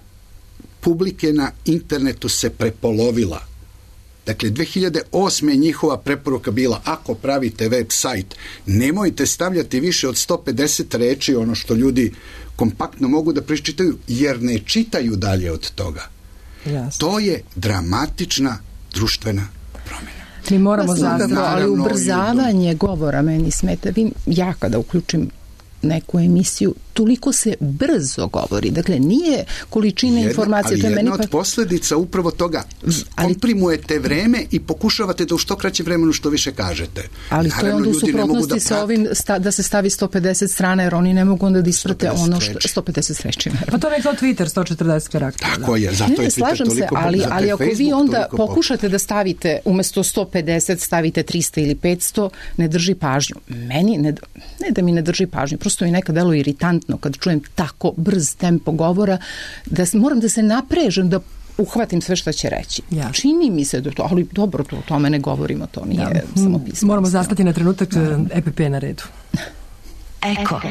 publike na internetu se prepolovila. Dakle, 2008. njihova preporuka bila, ako pravite web sajt, nemojte stavljati više od 150 reči, ono što ljudi kompaktno mogu da pročitaju, jer ne čitaju dalje od toga. Jasno. To je dramatična društvena promjena. Mi moramo zapravo, ali ubrzavanje govora meni smeta. Ja kada uključim neku emisiju, toliko se brzo govori. Dakle, nije količina informacije. Ali jedna od posledica upravo toga, komprimujete vreme i pokušavate da u što kraće vremenu što više kažete. Ali to je onda u suprotnosti sa ovim da se stavi 150 strana, jer oni ne mogu onda da isprate ono što... 150 reči. Pa to je kao Twitter, 140 karaktera. Tako je, zato je Twitter toliko... Ali ako vi onda pokušate da stavite, umesto 150 stavite 300 ili 500, ne drži pažnju. Meni, ne da mi ne drži pažnju, prosto mi nekad delo iritantno kad čujem tako brz tempo govora, da moram da se naprežem, da uhvatim sve što će reći. Ja. Čini mi se da to, ali dobro, to o tome ne govorimo, to nije samo pismo. Moramo zastati na trenutak, EPP na redu. Eko.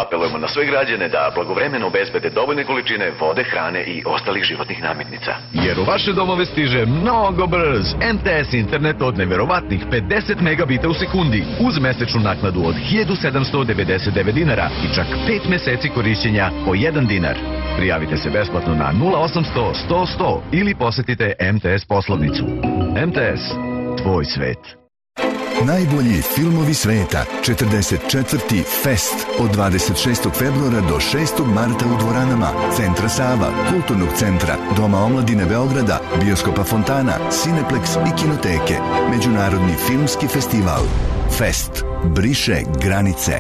Apelujemo na sve građane da blagovremeno obezbede dovoljne količine vode, hrane i ostalih životnih namirnica. Jer u vaše domove stiže mnogo brz MTS internet od neverovatnih 50 megabita u sekundi uz mesečnu naknadu od 1799 dinara i čak 5 meseci korišćenja po 1 dinar. Prijavite se besplatno na 0800 100 100 ili posetite MTS poslovnicu. MTS, tvoj svet. Najbolji filmovi sveta, 44. Fest od 26. februara do 6. marta u dvoranama Centra Sava, Kulturnog centra, Doma omladine Beograda, Bioskopa Fontana, Cineplex i Kinoteke. Međunarodni filmski festival. Fest briše granice.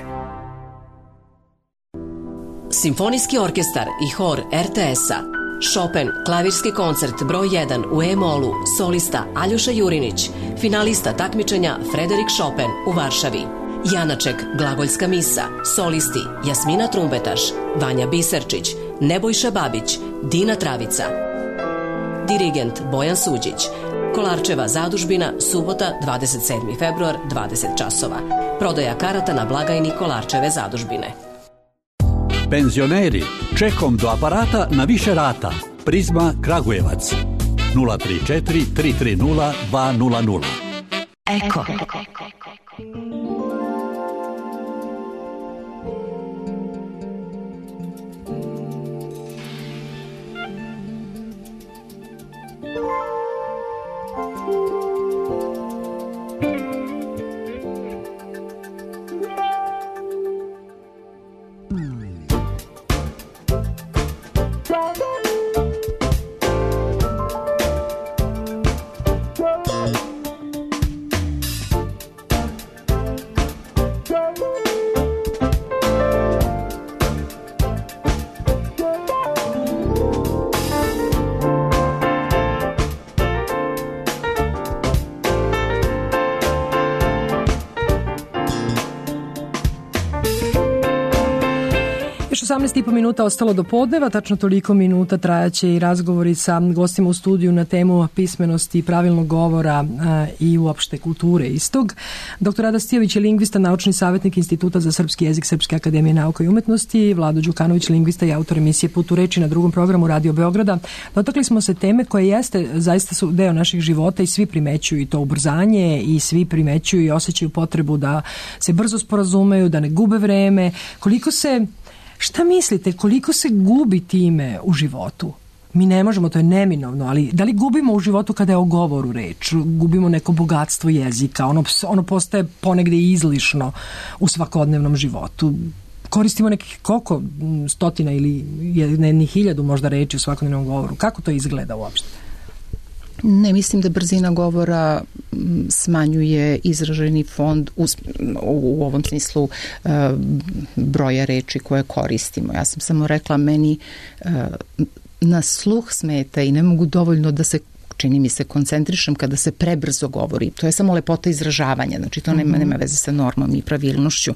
Simfonijski orkestar i hor RTS-a. Chopin, klavirski koncert broj 1 u E-molu, solista Aljoša Jurinić, finalista takmičenja Frederik Chopin u Varšavi. Janaček, glagoljska misa, solisti Jasmina Trumbetaš, Vanja Biserčić, Nebojša Babić, Dina Travica. dirigent Bojan Suđić. Kolarčeva zadužbina, subota, 27. februar, 20 časova. Prodaja karata na blagajni Kolarčeve zadužbine. Penzioneri, čekom do aparata na više rata. Prizma Kragujevac. 034 330 200. Eko. Još 18,5 minuta ostalo do podneva, tačno toliko minuta trajaće i razgovori sa gostima u studiju na temu pismenosti, pravilnog govora i uopšte kulture istog. Dr. Rada Stijović je lingvista, naučni savjetnik Instituta za srpski jezik Srpske akademije nauka i umetnosti, Vlado Đukanović, lingvista i autor emisije Put u reči na drugom programu Radio Beograda. Dotakli smo se teme koje jeste, zaista su deo naših života i svi primećuju i to ubrzanje i svi primećuju i osjećaju potrebu da se brzo sporazumeju, da ne gube vreme. Šta mislite, koliko se gubi time u životu? Mi ne možemo, to je neminovno, ali da li gubimo u životu kada je o govoru reč? Gubimo neko bogatstvo jezika, ono postaje ponegde izlišno u svakodnevnom životu. Koristimo nekih koliko stotina ili jednih 1000 možda reči u svakodnevnom govoru. Kako to izgleda uopšte? Ne mislim da brzina govora smanjuje izraženi fond u ovom smislu broja reči koje koristimo. Ja sam samo rekla, meni na sluh smeta i ne mogu dovoljno da se, čini mi se, koncentrišem kada se prebrzo govori. To je samo lepota izražavanja, znači to nema veze sa normom i pravilnošću.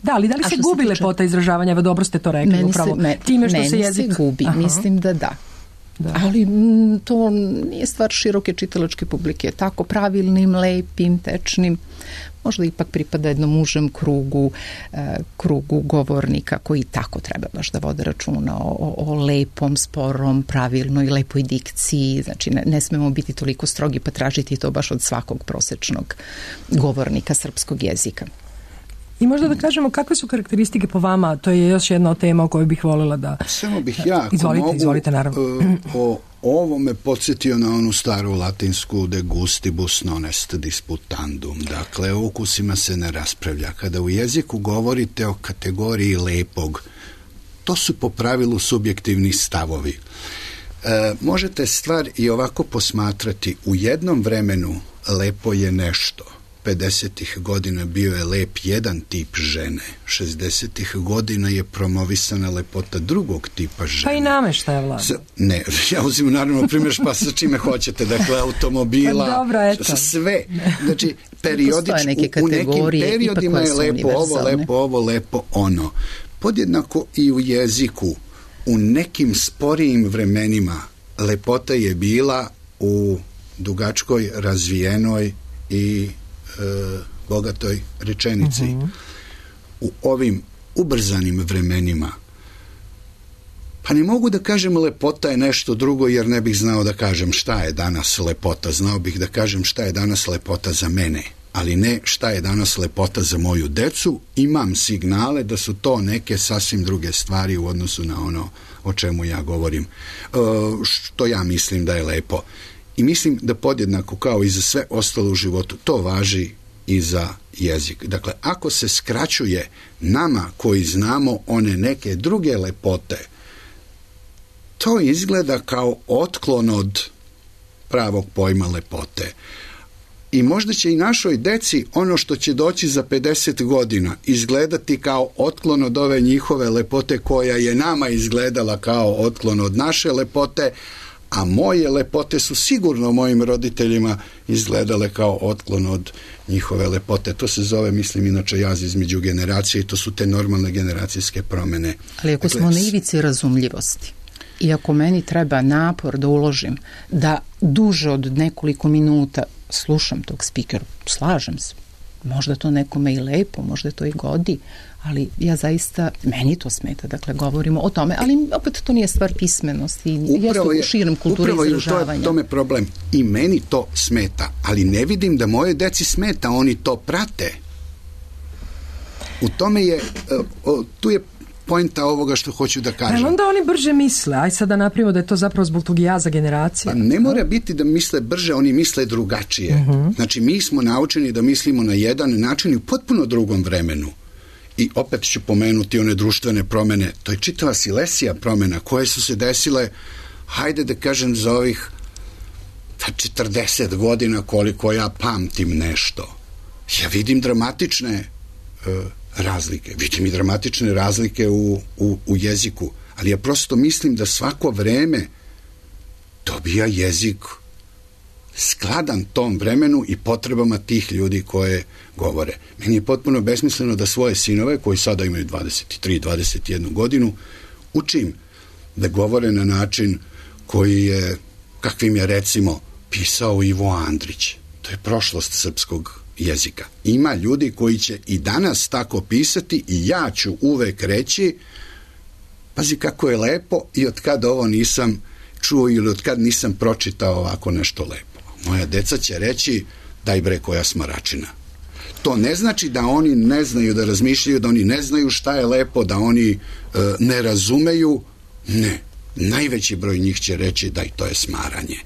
Da, ali da li se gubi lepota izražavanja? Evo, dobro ste to rekli upravo. Time što se jezik... Meni se gubi, mislim da da. Ali to nije stvar široke čitalačke publike. Tako pravilnim, lepim, tečnim, možda ipak pripada jednom užem krugu govornika koji tako treba baš da vode računa o lepom, sporom, pravilnoj, lepoj dikciji. Znači ne smemo biti toliko strogi pa tražiti to baš od svakog prosečnog govornika srpskog jezika. I možda da kažemo kakve su karakteristike po vama, to je još jedna od tema o kojoj bih voljela da... Samo bih ja, izvolite, naravno. O ovome podsjetio na onu staru latinsku de gustibus non est disputandum. Dakle, o ukusima se ne raspravlja. Kada u jeziku govorite o kategoriji lepog, to su po pravilu subjektivni stavovi. Možete stvar i ovako posmatrati. U jednom vremenu lepo je nešto. 50-ih godina bio je lep jedan tip žene. 60-ih godina je promovisana lepota drugog tipa žene. Pa i nameštaja, Vlada. Ne, ja uzimam naravno primjer pa sa čime hoćete. Dakle, automobila, pa dobro, eto. Sve. Znači, periodično, u nekim periodima je lepo ovo, lepo ono. Podjednako i u jeziku. U nekim sporijim vremenima lepota je bila u dugačkoj, razvijenoj i bogatoj rečenici. U ovim ubrzanim vremenima pa ne mogu da kažem lepota je nešto drugo, jer ne bih znao da kažem šta je danas lepota. Znao bih da kažem šta je danas lepota za mene, ali ne šta je danas lepota za moju decu. Imam signale da su to neke sasvim druge stvari u odnosu na ono o čemu ja govorim, što ja mislim da je lepo. I mislim da podjednako kao i za sve ostalo u životu, to važi i za jezik. Dakle, ako se skraćuje nama koji znamo one neke druge lepote, to izgleda kao otklon od pravog pojma lepote. I možda će i našoj deci ono što će doći za 50 godina izgledati kao otklon od ove njihove lepote koja je nama izgledala kao otklon od naše lepote, a moje lepote su sigurno mojim roditeljima izgledale kao otklon od njihove lepote. To se zove, mislim, inače jaz između generacije i to su te normalne generacijske promjene. Ali ako smo na ivici razumljivosti. I ako meni treba napor da uložim, da duže od nekoliko minuta slušam tog speakera, slažem se. Možda to nekome i lepo, možda to i godi, ali ja zaista, meni to smeta, dakle, govorimo o tome, ali opet to nije stvar pismenosti, jeste u širem kulturi izražavanja. Upravo je tome problem. I meni to smeta, ali ne vidim da moje deci smeta, oni to prate. U tome je, tu je poenta ovoga što hoću da kažem. Ali onda oni brže misle, aj sad da napravimo da je to zapravo zbog tog jaza generacije. Pa ne mora biti da misle brže, oni misle drugačije. Znači, mi smo naučeni da mislimo na jedan način i u potpuno drugom vremenu. I opet ću pomenuti one društvene promene. To je čitava silesija promena koje su se desile, hajde da kažem, za ovih 40 godina koliko ja pamtim nešto. Ja vidim dramatične razlike. Vidim i dramatične razlike u jeziku. Ali ja prosto mislim da svako vreme dobija jezik skladan tom vremenu i potrebama tih ljudi koje govore. Meni je potpuno besmisleno da svoje sinove, koji sada imaju 23-21 godinu, učim da govore na način koji je, kakvim je recimo pisao Ivo Andrić. To je prošlost srpskog jezika. Ima ljudi koji će i danas tako pisati i ja ću uvek reći, pazi kako je lepo i od kad ovo nisam čuo ili od kad nisam pročitao ovako nešto lepo. Moja deca će reći, daj bre koja smaračina. To ne znači da oni ne znaju da razmišljaju, da oni ne znaju šta je lepo, da oni ne razumeju. Ne. Najveći broj njih će reći, daj to je smaranje.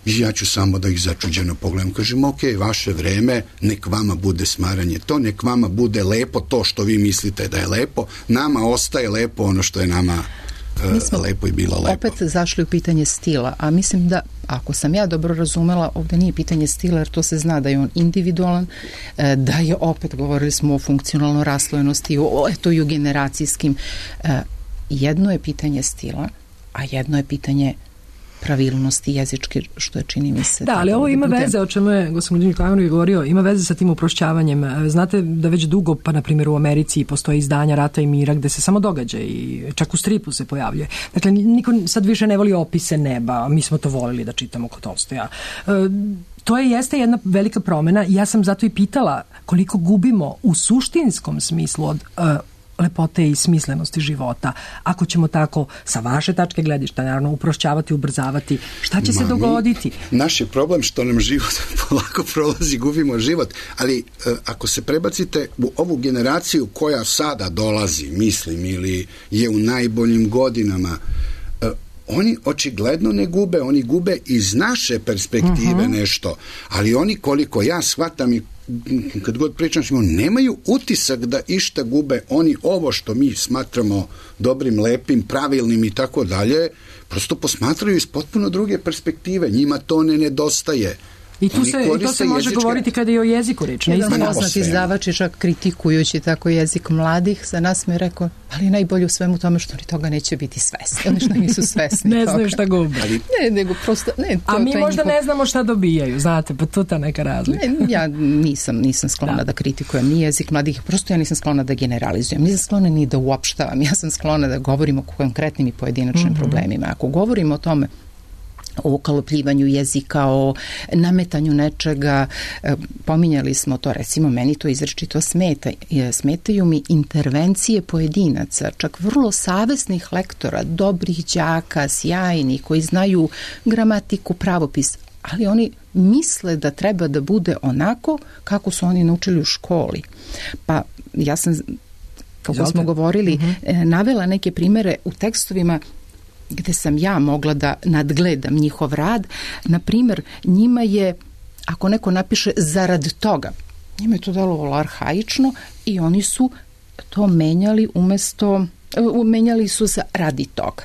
I ja ću samo da ih začuđeno pogledam. Kažem, ok, vaše vreme, nek vama bude smaranje to, nek vama bude lepo to što vi mislite da je lepo. Nama ostaje lepo ono što je nama lepo i bilo lepo. Opet zašli u pitanje stila, a mislim da, ako sam ja dobro razumela, ovdje nije pitanje stila, jer to se zna da je on individualan, da je, opet govorili smo o funkcionalnoj raslojenosti, eto i o generacijskim. Jedno je pitanje stila, a jedno je pitanje pravilnosti jezičke, što je, čini mi se. Da, ali ovo ima veze, o čemu je gospodin Klavanović govorio, ima veze sa tim uprošćavanjem. Znate da već dugo, pa na primjer u Americi postoje izdanja Rata i mira gde se samo događa i čak u stripu se pojavljuje. Dakle, niko sad više ne voli opise neba, mi smo to volili da čitamo kod Tolstoja. To jeste jedna velika promena. Ja sam zato i pitala koliko gubimo u suštinskom smislu od lepote i smislenosti života. Ako ćemo tako, sa vaše tačke gledišta, naravno, uprošćavati, ubrzavati, šta će se dogoditi? Naš je problem što nam život polako prolazi, gubimo život, ali ako se prebacite u ovu generaciju koja sada dolazi, mislim, ili je u najboljim godinama, oni očigledno ne gube, oni gube iz naše perspektive nešto, ali oni, koliko ja shvatam i kad god pričam s njima, nemaju utisak da išta gube. Oni ovo što mi smatramo dobrim, lepim, pravilnim i tako dalje, prosto posmatraju iz potpuno druge perspektive. Njima to ne nedostaje. I to se može govoriti kada je o jeziku reč. Jedan poznati izdavač je čak kritikujući tako jezik mladih za nas mi je rekao, ali najbolje u svemu tome što oni toga neće biti svesni. Oni što nisu svesni ne znaju šta gube. Ne, nego prosto... A mi možda ne znamo šta dobijaju, znate, pa to ta neka razlika. Ja nisam sklona da kritikujem ni jezik mladih, prosto ja nisam sklona da generalizujem, nisam sklona ni da uopštavam, ja sam sklona da govorim o konkretnim i pojedinačnim problemima. Ako govorimo o tome, o ukalopljivanju jezika, o nametanju nečega, pominjali smo to, recimo meni to izrečito smeta. Smetaju mi intervencije pojedinaca, čak vrlo savesnih lektora, dobrih đaka, sjajnih, koji znaju gramatiku, pravopis, ali oni misle da treba da bude onako kako su oni naučili u školi. Pa ja sam, kako smo govorili, navela neke primere u tekstovima gde sam ja mogla da nadgledam njihov rad. Na primjer, njima je, ako neko napiše zarad toga, njima je to delovalo arhaično i oni su to menjali su za radi toga.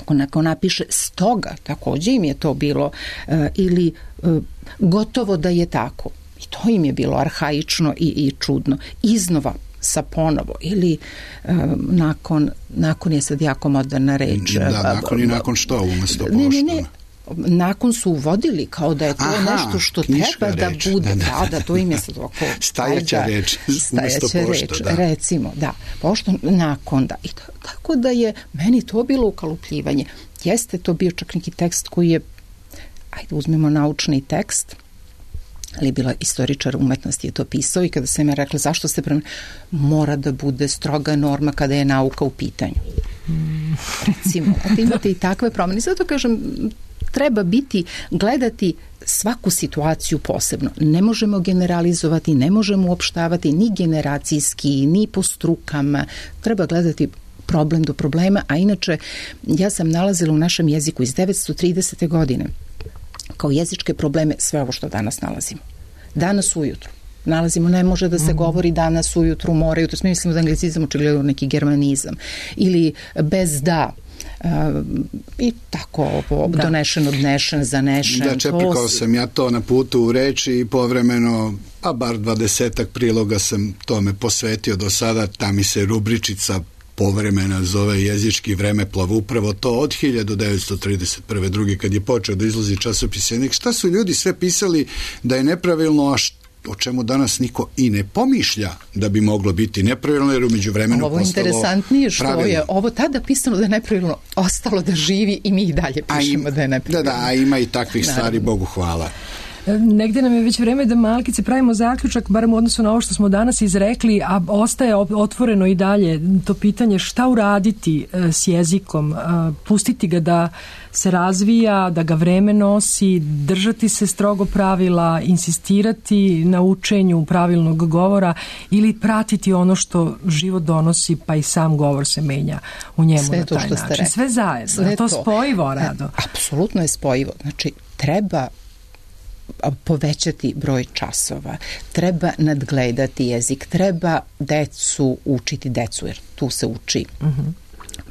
Ako neko napiše stoga, također im je to bilo, ili gotovo da je tako. I to im je bilo arhaično i čudno. Iznova, sa ponovo, ili nakon je sad jako moderna reč. Da, nakon i nakon što, umesto pošto. Ne, nakon su uvodili kao da je to nešto što treba da reč. bude. Da, to im je sad ovako... Stajaća reč, umjesto pošto, da. Recimo, da, pošto nakon, da. I tako da je meni to bilo ukalupljivanje. Jeste to bio čak neki tekst koji je, ajde uzmemo naučni tekst, ali je bila istoričar umetnosti je to pisao i kada sam ja rekla zašto se mora da bude stroga norma kada je nauka u pitanju. Recimo, da imate i takve promene. Zato kažem, treba gledati svaku situaciju posebno. Ne možemo generalizovati, ne možemo uopštavati ni generacijski, ni po strukama. Treba gledati problem do problema, a inače ja sam nalazila u našem jeziku iz 930. godine kao jezičke probleme sve ovo što danas nalazimo. Danas ujutru nalazimo, ne može da se govori danas ujutru, mora jutro, mi mislimo da anglicizam očigledno neki germanizam ili bez da i tako donešen, odnešen, zanešen. Da, čepikao sam ja to na putu u reči i povremeno, pa bar 20 priloga sam tome posvetio do sada, ta mi se rubričica povremena zove jezički vremeplov, upravo to od 1931. drugi kad je počeo da izlazi časopis Jezik. Šta su ljudi sve pisali da je nepravilno, a o čemu danas niko i ne pomišlja da bi moglo biti nepravilno, jer umeđu vremenu postalo pravilno. Ovo interesantnije što je ovo tada pisano da je nepravilno ostalo da živi i mi i dalje pišemo da je nepravilno. Da, a ima i takvih stvari, Bogu hvala. Negde nam je već vreme da malkice pravimo zaključak, barem u odnosu na ovo što smo danas izrekli, a ostaje otvoreno i dalje to pitanje šta uraditi s jezikom, pustiti ga da se razvija, da ga vreme nosi, držati se strogo pravila, insistirati na učenju pravilnog govora ili pratiti ono što život donosi, pa i sam govor se menja u njemu na taj način. Sve zajedno. To spojivo, Rado. Apsolutno je spojivo. Znači, treba povećati broj časova, treba nadgledati jezik, treba decu učiti decu, jer tu se uči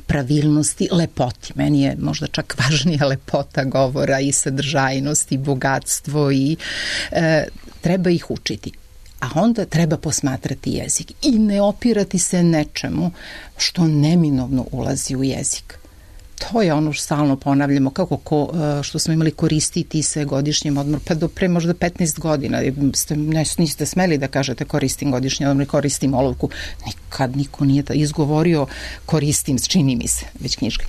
pravilnosti, lepoti. Meni je možda čak važnija lepota govora i sadržajnost i bogatstvo i treba ih učiti. A onda treba posmatrati jezik i ne opirati se nečemu što neminovno ulazi u jezik. To je ono što stalno ponavljamo, kako što smo imali koristiti se godišnjem odmor, pa do pre možda 15 godina niste smeli da kažete koristim godišnji odmor, koristim olovku. Nikad niko nije izgovorio koristim, čini mi se, već knjiške.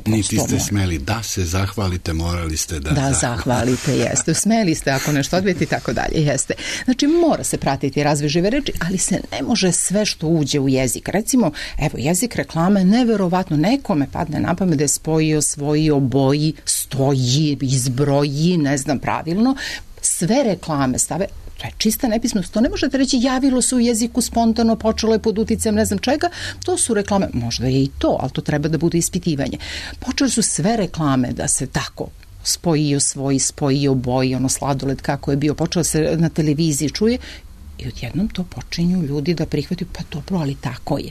Niti ste smeli da se zahvalite, morali ste da zahvalite, jeste. Smeli ste ako nešto odbijete i tako dalje, jeste. Znači mora se pratiti razvoj žive reči, ali se ne može sve što uđe u jezik. Recimo, evo, jezik reklame, neverovatno, nekome padne na pamet da je spojio, svojio, boji, stoji, izbroji, ne znam pravilno, sve reklame stave, to je čista nepismenost, to ne možete reći javilo se u jeziku spontano, počelo je pod uticajem ne znam čega, to su reklame, možda je i to, ali to treba da bude ispitivanje. Počeli su sve reklame da se tako spojio, svoj, spojio, boji, ono sladoled kako je bio, počelo se na televiziji čuje i odjednom to počinju ljudi da prihvataju, pa dobro, ali tako je.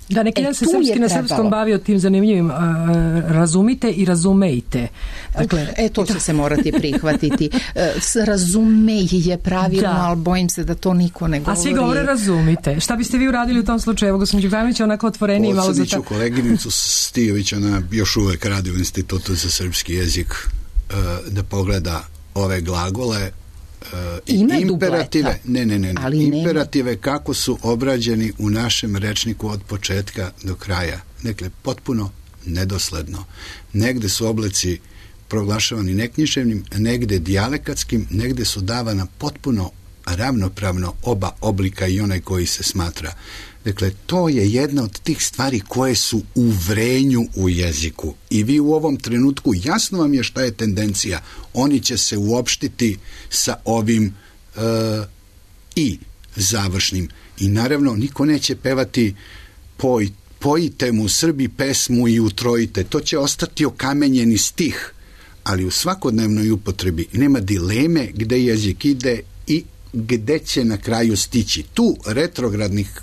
Da, neki dan se srpski na srpskom bavio tim zanimljivim razumite i razumejte. Dakle, to će se morati prihvatiti. Razumeji je pravilno, ali bojim se da to niko ne govori. A svi govore razumite. Šta biste vi uradili u tom slučaju? Evo, gospodin Đukanović je onako otvoreniji i malo za to. Koleginicu Stijović, ona još uvek radi u Institutu za srpski jezik, da pogleda ove glagole imperative, imperative kako su obrađeni u našem rečniku od početka do kraja. Dakle, potpuno nedosledno. Negde su oblici proglašavani neknjiževnim, negde dijalekatskim, negde su davana potpuno ravnopravno oba oblika i onaj koji se smatra. Dakle, to je jedna od tih stvari koje su u vrenju u jeziku. I vi u ovom trenutku, jasno vam je šta je tendencija. Oni će se uopštiti sa ovim i završnim. I naravno, niko neće pevati pojite mu Srbi pesmu i utrojite. To će ostati okamenjeni stih. Ali u svakodnevnoj upotrebi nema dileme gde jezik ide i gde će na kraju stići. Tu retrogradnih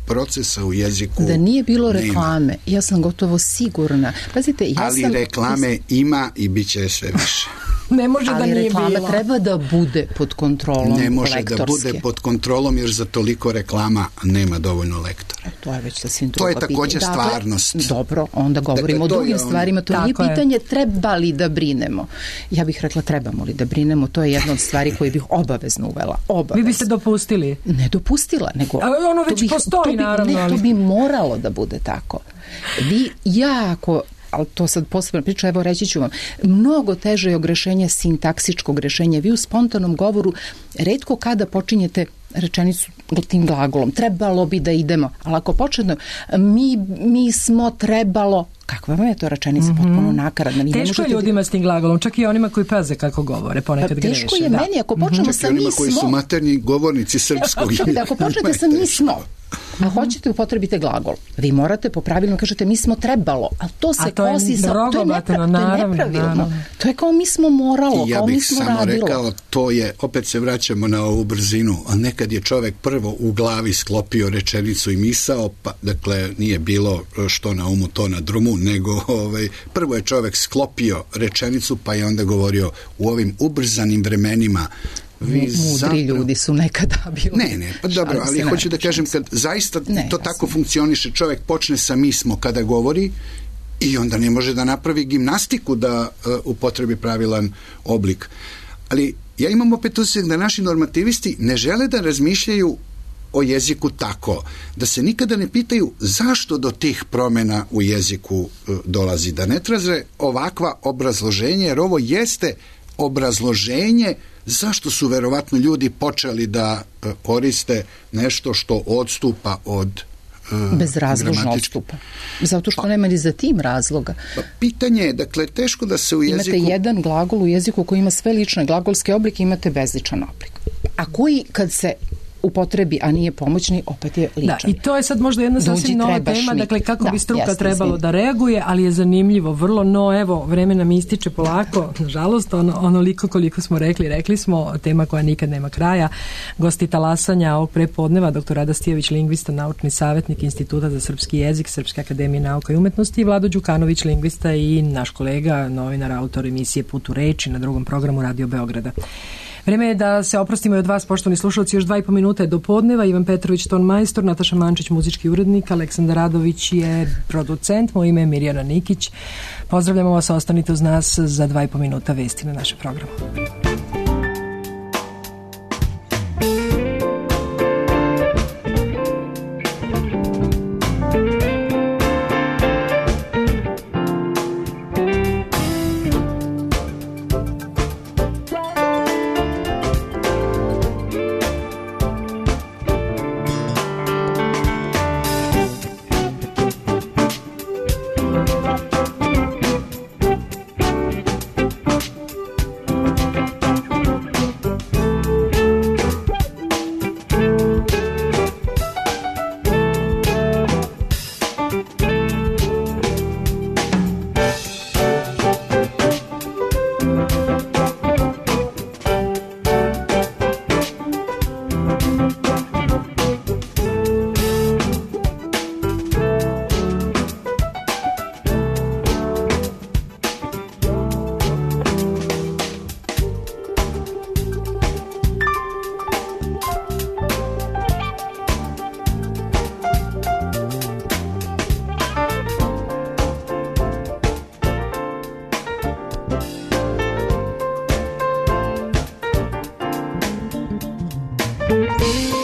procesa u jeziku da nije bilo reklame, ja sam gotovo sigurna. Pazite, ali reklame ima i bit će sve više. Ne može da nije bilo. Ali reklama treba da bude pod kontrolom Ne može lektorske. da bude pod kontrolom jer za toliko reklama nema dovoljno lektora. To je već sasvim To druga je takođe pitanja. stvarnost. Dobro, onda govorimo Dakle, o drugim to je stvarima. To nije Tako je. pitanje treba li da brinemo. Ja bih rekla trebamo li da brinemo. To je jedna od stvari koje bih obavezno uvela. Vi biste dopustili? Ne dopustila, nego... A ono već postoji, naravno. Ne, to bi moralo da bude tako. Vi jako... ali to sad posebno priča, evo reći ću vam, mnogo teže je ogrešenje sintaksičkog rešenja. Vi u spontanom govoru retko kada počinjete rečenicu tim glagolom. Trebalo bi da idemo. Ali ako početno, mi smo trebalo, kakva vam je to rečenica potpuno nakaradna? Teško je ljudima s tim glagolom, čak i onima koji paze kako govore, ponekad greše. Teško je meni, ako počnemo sa mi smo... koji su materni govornici srpskog. Ako počnete sa mi smo, a hoćete upotrebite glagol, vi morate po pravilno kažete mi smo trebalo, ali to se kosi sa... To je nepravilno. To je kao mi smo moralo, kao mi smo radilo. Ja bih samo rekao, to je, opet se vraćamo na ovu brzinu, a nekad je čovek prvo u glavi sklopio rečenicu i misao, pa dakle nije bilo što na umu, to na drumu, nego prvo je čovek sklopio rečenicu, pa je onda govorio u ovim ubrzanim vremenima. Mudri ljudi su nekada bili. Ne, pa dobro, ali hoću da kažem kad zaista to tako funkcioniše, čovjek počne sa mi smo kada govori i onda ne može da napravi gimnastiku da upotrebi pravilan oblik. Ali ja imam opet osjećaj da naši normativisti ne žele da razmišljaju o jeziku tako, da se nikada ne pitaju zašto do tih promjena u jeziku dolazi, da ne traže ovakva obrazloženje, jer ovo jeste obrazloženje zašto su verovatno ljudi počeli da koriste nešto što odstupa od bezrazložno odstupa. Zato što nema ni za tim razloga. Pitanje je, dakle, teško da se u jeziku... Imate jedan glagol u jeziku koji ima sve lične glagolske oblike, imate bezličan oblik. A koji kad se upotrebi, a nije pomoćni, opet je ličan. Da, i to je sad možda jedna sasvim nova tema, dakle kako bi struka trebalo da reaguje, ali je zanimljivo vrlo, no evo, vreme nam ističe polako, nažalost, onoliko koliko smo rekli smo, tema koja nikad nema kraja. Gosti talasanja ovog prepodneva, dr. Rada Stijević, lingvista, naučni savjetnik Instituta za srpski jezik, Srpske akademije nauka i umetnosti, i Vlado Đukanović, lingvista i naš kolega, novinar, autor emisije Put u reči na drugom programu Radio Beograda. Vreme je da se oprostimo i od vas, poštovani slušalci, još 2,5 minuta je do podneva. Ivan Petrović, ton majstor, Nataša Mančić, muzički urednik, Aleksandar Radović je producent, moje ime je Mirjana Nikić. Pozdravljamo vas, ostanite uz nas za 2,5 minuta vesti na našem programu. Thank you.